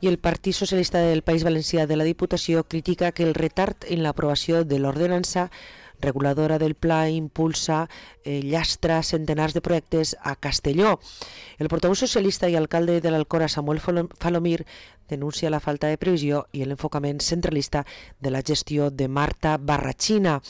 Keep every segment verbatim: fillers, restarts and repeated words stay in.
I el Partit Socialista del País Valencià de la Diputació critica que el retard en l'aprovació de l'ordenança reguladora del pla impulsa eh, llastra centenars de projectes a Castelló. El portaveu socialista i alcalde de l'Alcora, Samuel Falomir, denuncia la falta de previsió i l'enfocament centralista de la gestió de Marta Barrachina.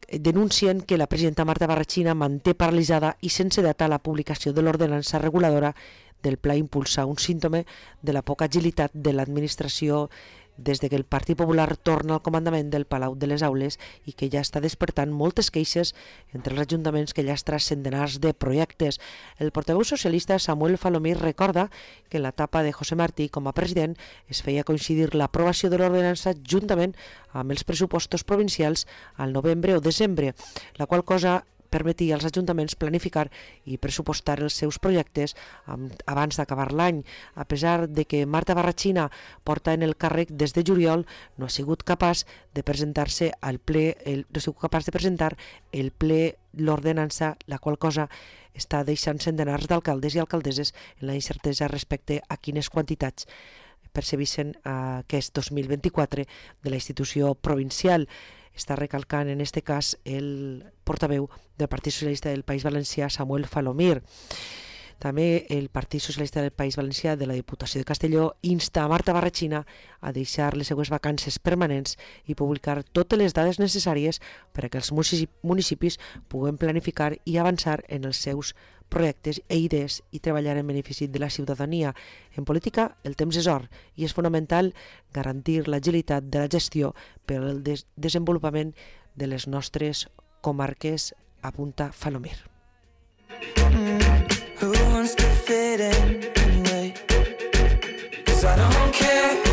Denuncien que la presidenta Marta Barrachina manté paralitzada i sense data la publicació de l'ordenança reguladora del pla impulsa, un símptoma de la poca agilitat de l'administració des de que el Partit Popular torna al comandament del Palau de les Aules i que ja està despertant moltes queixes entre els ajuntaments que llastra centenars de projectes. El portaveu socialista Samuel Falomir recorda que en l'etapa de José Martí com a president es feia coincidir l'aprovació de l'ordenança juntament amb els pressupostos provincials al novembre o desembre, la qual cosa permetia als ajuntaments planificar i pressupostar els seus projectes abans d'acabar l'any. A pesar de que Marta Barrachina porta en el càrrec des de juliol, no ha sigut capaç de presentar-se al ple, el, no ha sigut capaç de presentar el ple l'ordenança, la qual cosa està deixant centenars d'alcaldes i alcaldesses en la incertesa respecte a quines quantitats percebissin uh, aquest dos mil vint-i-quatre de la institució provincial. Està recalcant en aquest cas el portaveu del Partit Socialista del País Valencià, Samuel Falomir. També el Partit Socialista del País Valencià de la Diputació de Castelló insta a Marta Barrachina a deixar les seues vacances permanents i publicar totes les dades necessàries per a que els municipis puguen planificar i avançar en els seus projectes e idees i treballar en benefici de la ciutadania. En política, el temps és or i és fonamental garantir l'agilitat de la gestió per al des desenvolupament de les nostres comarques, apunta Falomir. Mm, who wants to fit in anyway? 'Cause I don't care